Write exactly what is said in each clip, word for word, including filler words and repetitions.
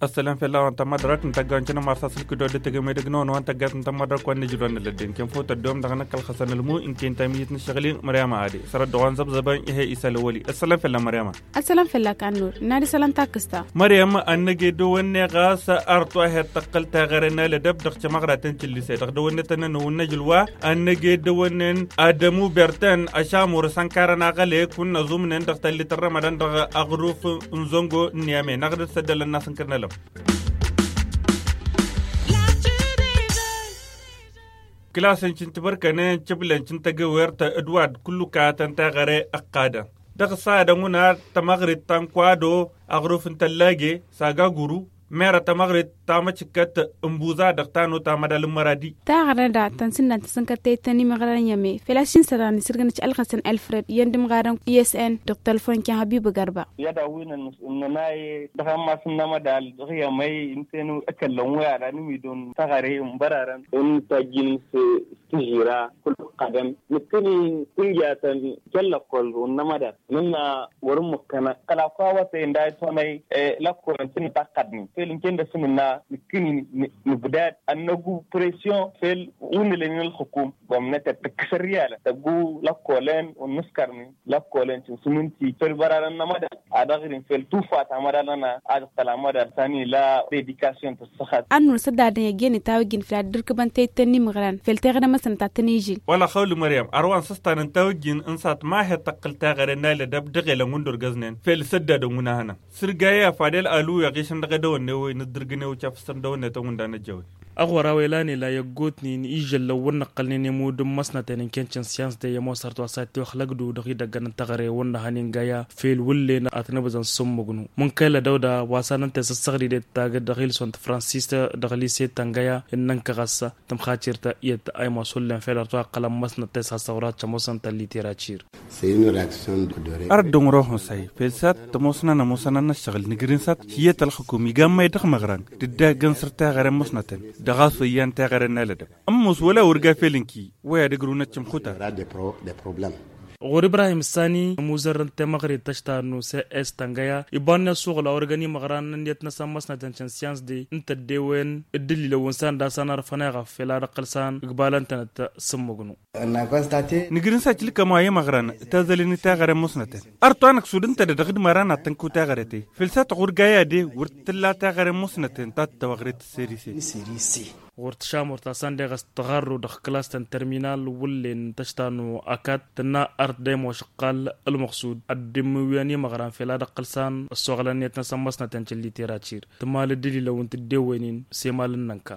Ăssălam fell-a-wa n-tamădrat n-tăgga wa n-cănăm arsas ǝlkǝdo d-tăgămedăg n-ăwăn tăggat n-tamădrat wa n-nǝjǝl wa n-nălădden kănfăw tăddom dăɣ-năkk ălxăsăn ǝlmu n-kintămiyit n-ǝššăɣli măryama ade sărăt dăɣ-wa n-zăbzăbăn ih'-e isăl ăwăli. Ăssălam fell-a măryama. Ăssălam fell-a kannur n-ad-isălan takǝsta. Măryam ad-năj edăwănne ɣas arăt wa he-tăqqǝl taɣăre n-alădăb dăɣ-cămăɣratăn cǝllise dăɣ-dăwănne tănnăn n-awǝnnăj ǝlwa ad-năj edăwănnen adămu bertăn ăšamur s-ănkarăn aɣăle kunna zumnen dăɣ-tallit n-rămădan dăɣ-aɣruf n-zăngo n-niyame n-aɣdăd s-ăddălăn n-asǝnkăr n-alăm. Kǝlasăn cǝntǝbărkănen cǝblăn cǝntăgewert d-wa d-kullu kayătăn taɣăre ăqqadăn dăɣ-s ad-ănwǝnar tămăɣrit ta n-kwado aɣruf n-tăllage s-agaguru merăt tămăɣrit ta măcǝkkăt n-buza dăɣ-tano ta mădal n-măradi. Taɣărnăda tăn-sǝnnan tăsǝnkăt tăyǝttăn imăɣrăn i-ăme făl-a-s ši n-sărani sǝrgǝnăt ălxăsăn alfred iyyăn d-imɣarăn isn dăɣ-tălfon kăy-hăbibǝ gărba. I-ad-awǝynăn ǝnnănaye dăɣ-ammas n-amădal dăɣ-i-ămăy ǝnta-en ăkăllăn wi ad-anǝmidon taɣăre n-bărarăn. Ǝnta ǝjjǝn s-tǝžžira kul-ăqqadăn nǝkkǝni kunjatăn kăl-lăkkol wăr n-amădal nǝnna wăr-ǝmmǝkkănăɣ kăla kăwătăy ǝnda a-s honăy lăkkolăn tǝnǝtaqqădnen fel ǝnken dăr-s nǝnna nǝkkǝni nǝbdad ad-năggu pression fel wǝnnǝlănen ălxǝkum. Gomnăt ad-tǝkkǝs ărriyalăn tăggu lăkkolăn wăr nǝskărnen lăkkolăn cǝnsǝmǝnti fel bărarăn n-amădal ad-ăɣrin fel tufa ta amădal-nănăɣ ad-ǝqqăl amădal ta n-ila dedikasyon tǝssăxat. Ad-nǝwǝl săddadăn i-ăjjeen itawǝjjǝn făll-ad-dd ǝrkǝbăn tayǝttăn n-imǝɣran fel teɣăre măsnăt ad-tăn-ižil. Wăla xawli măryam ărwa n-săstan n-tawǝjjǝn n-sat ma he-tăqqǝl teɣăre n-alădăb dăɣ-elăn wǝndur găznen fel săddadăn wǝnahănăn sǝrgayăy a fadel alu i-aɣišăn dăɣ-edăwănne-wen ǝddǝrgǝn-ew cafǝsăn dăwănne tănwǝnda n-ăjjăwen. Ăɣora wa ilan ila i-ăggootnen ižăllăn wăr nǝqqălnen i-imud n-măsnăten n-kenčăn syans de i-ămoosărt wa s-ad-tiwăxlăgdu dăɣ-idăggăn n-teɣăre wăr nǝhăn ingaya fel wǝllen ad-tăn-ǝbzăn s-ǝmmǝgnu. Mǝnkăyla dăwda wa s-ad-nǝnta i-săssăɣdide d-taggăt dăɣ-ilson tǝfransist dăɣ-lise tăngăya ǝnnăn kăɣăssa tǝmxacirt iyyăt a imoos hullen fel ărăt wa ǝqqălăn măsnăt ta isasăɣ wăr-ad-tămoosăn tălliteracir. Ar dd-ǝnɣăr ohăn s-a-i fel s-ad-tămoosnăn ămoosăn ad-năššăɣǝl nǝgrǝn s-ad-hiyyăt ălxǝkum iga ămmay dăɣ-imăɣran d-dd-agg ănsăr teɣăre n-măsnătăn dăɣ-a-s oyyăn teɣăre n-alădăb. Ămoos wăla wăr ga fel ǝnki wa i-ad-ǝgrǝw n-ăččǝmxutar. Ɣur-ibrahim ǝssani ămuzărrăn temăɣrit tăštanu s-e s tăngăya ibanne ăssuɣǝl a wăr găn imăɣran n-ǝnniyăt-năsăn măsnătăn cǝnsyans de n-tăddewen d-ǝllilăwăn s-anda a-s anărfăn eɣăf fel ad-ăqqăl s-an ǝgbalăn-tănăt s-ǝmmǝgnu. Nǝgrǝn s-ad-tilkăm wa i-imăɣran tazălen i-teɣăre n-măsnătăn. Ărăt wa năksud ǝnta-dăɣ dăɣ-d măra n-ad-tăn-kăw teɣăre-te fel s-ad-tăɣur gayade wăr t-tǝlla teɣăre n-măsnătăn ta t-tăwăɣret s-serise. Ɣur-tăšamurt ta s-anda eɣăs tăɣarru dăɣ-klas ta n-terminal wǝllen tăštanu akat tǝnna ărăt d-ămošăqqal ălmăɣsud ad-dd-immǝwǝyăn imăɣran fel ad-ăqqăl s-an ăssoɣălăn ǝnniyăt-năsăn măsnătăn cǝlliteracir tǝmal d-ǝlilăwăn tǝddewen-in s-emal n-inănka.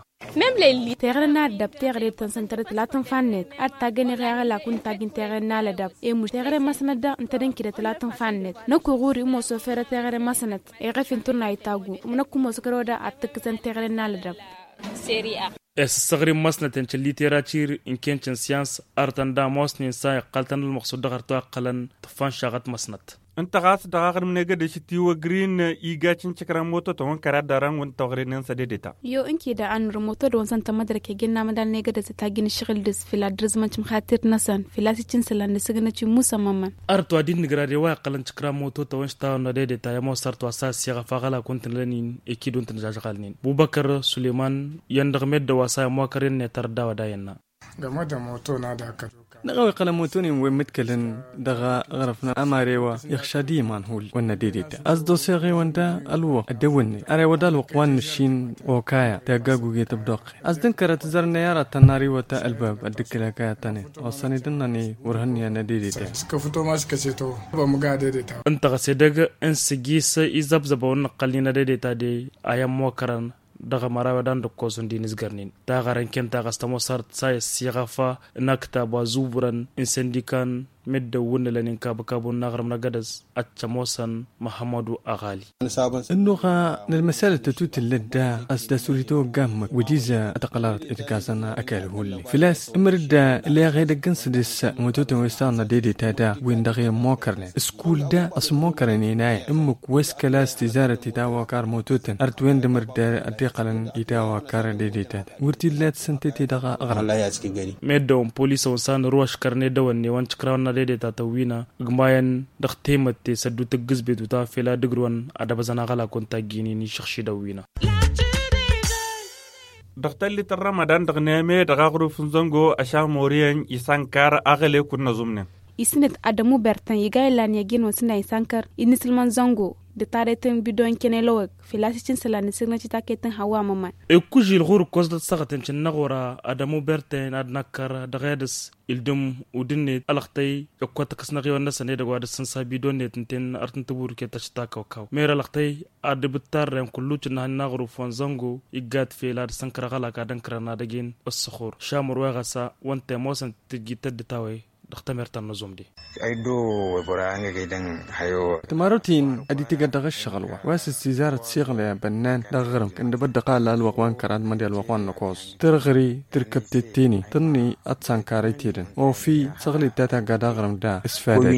Teɣăre n-ad-dăb teɣăre d-tăn-săn tărăt tǝlatăn fannet ad-taggăn eɣe aɣălak wǝnta ajǝn teɣăre n-alădăb emuš teɣăre n-măsnăt dăɣ-ǝntădăn kidăt tǝlatăn fannet. Năkk uɣuri imoso ferăt teɣăre n-măsnăt eɣăf inturna itaggu. Năkk imoso kăroda ad-tǝkkǝsăn teɣăre n-alădăb. Săssăɣri n-măsnăten cǝlliteracir n-kencăn syans arătăn d-amosnen s-a iqqăl-tăn ălmăqsud dăɣ-ărtăwăqqălăn tǝffan šaɣăt măsnăt. Ǝnta ɣas dăɣ-aɣrǝm n-egădeš tiwăgrin iga cǝncǝkran moto-tăn wăn kăraḍ dăɣ-ran wăn tawăɣre-nen s-ededeta. Yo ǝnki da a nǝrǝm moto-dăɣ wăn săn tămădrăk egen n-amădal n-egădeš d-tajjǝn ǝššăɣǝl dăɣ-s fila dd-rǝzmăn cǝmxatir-năsăn fila s-iccǝnsǝlăn d-sǝgnăt i-musămmămăn. Ărăt wa dd-nǝgra de wa iqqălăn cǝkran moto-tăn wăn s-tawănna dedeta i-ămoos ărăt wa s-a ăssiɣăf aɣălak wăn tǝnlăn-in ikid wăn tǝnjažɣalnen bubăkăr sulăyman iyyăn dăɣ-meddǝn wa s-a immokăr i-ănniyăt arăt d-a-wa d-a iyyăn-na. Dăɣ-a-wa iqqălăn moto-nin wi mǝḍkălăn dăɣ-aɣrǝf n-amare wa ixšad i-iman hull wănna dedeta a-s dd-oseɣ-e-wăn da ălwăqq ăddewănne are wa d-ălwăqq wa n-nǝššin okaya taggaguge tǝbdoqqe a-s dd-ǝnkărăt zărnăy ara tănnar iwăta ălbab ăddǝkkǝl okaya tănen ossăn-dd ǝnnăn-i wăr hǝnnǝyăn ăddedeta. Ǝnta ɣas edăgg n-sǝjjis izăbzăbăn wăr nǝqqălnin ăddedeta de a i-ămmokărăn dăɣ-măraw i-ad-ănn d-ǝkkoẓ wǝndin ǝzgărnen taɣărăn kenta ɣas tămoos arăt s-a i-ăssiɣăf n-aktab wa zubǝrăn n-săndikan. Meddǝn wǝnnǝlăn inkabǝkabun n-aɣrǝm n-agădăs ad-t-ămoosăn măhămmădu aɣali. Ănnuɣ n-ălmăsalăt ta tutǝllăt da a-s d-asurǝy tawăgga ǝmmǝk wădiză ad-t-ăqqălăɣăt d-gazăn ăkall hulli făl-a-s ǝmrǝd da ǝleɣ edăgg n-sădis mototăn wi s-taɣna dedeta da wi n-dăɣ-i ămmokărnen s-kull da a-s ămmokărnen inayăn ǝmmǝk wa s-kăla a-s tizarăt itawăkar mototăn ărtwen d-ǝmrǝd da ăddiqălăn itawăkar dedeta da wăr t-illa tǝssǝntet-i dăɣ-aɣrǝm. Meddǝn polisăn s-a nǝrǝw ăškărăn edăwănne wa n-tikrawăn n-ad-edeta tăwwina ǝgmayăn dăɣ-temătte s-ăddu tǝggǝzbet uta fel ad-ǝgrǝwăn ad-ăbăzăn aɣălak wa n-tajjǝynin išǝɣšidăn wi n-a. Dăɣ-tallit n-ramadan dăɣ-neme dăɣ-aɣrǝf n-zăngo ăšamoriyăn isankar aɣălek wa n-năẓumnen. Isǝnǝt adămu bertăn iga illan i-agin wa n-sǝnna isankăr inǝsǝlmăn zăngo d-tarret n-bidon kănelăwăg fel a-s icǝnsălan isǝgnăt i-taket n-hăwa măman. Ikužil ɣur-ǝkkos d-ăssăɣăt incǝnnăɣ ora adămu bertăn ad-năkkăr dăɣ-edăs ildǝm udǝnnet ălăxtăy ǝkkot ǝkǝsnăɣ iwăn-năsăn edăgg wa d-ăssǝnsa bidonnet ǝnta-en artǝntǝburǝket ašǝtakăwkaw mera ălăxtăy ad-ǝbǝttarren kullu cǝnnăhăn n-aɣrǝf wa n-zăngo iggat fel ad-sănkăr aɣălak ad-ǝnkărăn ad-ăjin ǝssǝxur šamăr wa ɣas a wa n-temosăn tǝjjit tăddǝt a-we dăɣ-temert ta n-năẓum de. Tǝmarăwt-in ad-itǝgăt dăɣ-ǝššăɣǝl wa wa s-ǝssizarăt siɣlăy abănnan dăɣ-aɣrǝm kăndăbăt dăɣ-ala ălwăqq wa n-kăraḍ mădde ălwăqq wa n-năkoẓ tărɣări tǝrkăb tetteni tănni ad-t-sankar itedăn ofi săɣlăy ta tagga dăɣ-aɣrǝm da s-fadăt.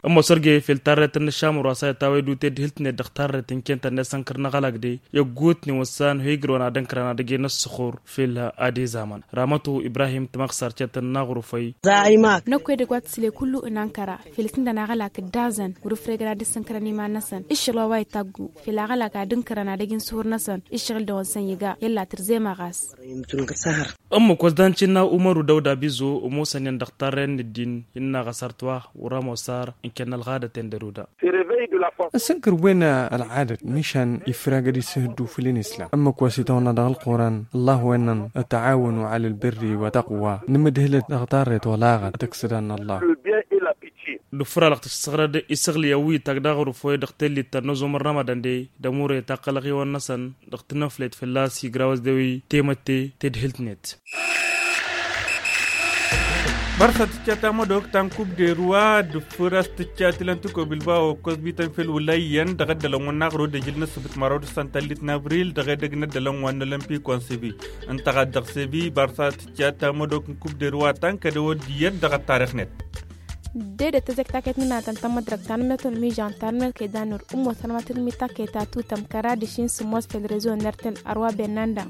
Ămoos ărge fel tarret n-ašamăr wa s-a itawăy dute d-hǝlt-net dăɣ-tarret n-kentăn n-esănkăr n-aɣălak de i-ăggut-ni wăssan hoy-ǝgrǝwăn ad-ǝnkărăn ad-ăjjăyăn ăssăxur fel ad-izamăn ramătu ibrahim tămăɣsar cetăn n-aɣrufăy. Năkk edăgg wa tǝsǝle kullu ǝnankăra fel s-ǝndăn aɣălak dd-azăn wăr-ǝfregăn ad-dd-sǝnkărăn iman-năsăn ǝššăɣǝl wa wa itaggu fel aɣălak ad-ǝnkărăn ad-ăj n-suhur-năsăn ǝššăɣǝl-dăwăn săn iga i-ălla tǝrzem aɣas. Ǝmmǝk wa s-dan-tǝnna umăru dăwda bizo ămoosăn-in dăɣ-tarren n-ǝddin innă ɣas artwa wăr-ămoos ar ǝnkănna ălɣadăt-en d-ăruda. Ăsǝnkăr-wen ălɣadăt mišan ifrag ad-isǝhǝddu făll-inǝslam ǝmmǝk wa s-itawănna dăɣ-ălquran ăllah-wen-năn ătawănu ălbărri wa tăqwa nǝmǝdhǝlăt dăɣ-tarret olaɣăt ad-tăksǝd anna ăllah. Dufǝr-alăɣ tǝssăɣrăd isăɣlǝyăn wi itag daɣ ărufăy dăɣ-tellit ta n-ăzum n-rămădăn de d-ămure taqqălăɣ iwăn-năsăn dăɣ-tinăflet fălla-s igra wăzdewi temătte tedhǝlt-net. Bărsa tǝcca tamădok ta n-kub de ruwa dufǝr a-s tǝcca tilăn tǝkobil ba okkos bităn fel wǝla iyyăn dăɣ-ăddălăn wa n-aɣrǝw d-ejǝl n-ǝssǝbǝt măraw d-săn tallit n-abril dăɣ-edăgg n-ăddălăn wa n-olămpik wa n-sebi ǝnta ɣas dăɣ-sebi bărsa tǝcca tamădok n-kub de ruwa ta n-kădăwăd iyyăt dăɣ-ăttarix-net. Dedet tăzek taket n-inatăn tamădrăk ta n-metăl mižan ta n-melke danur ǝmmosăn ma tǝlmi taket ta tutăm kăra d-ašin sǝmmos fel rezo n-ertel arwa bennanda.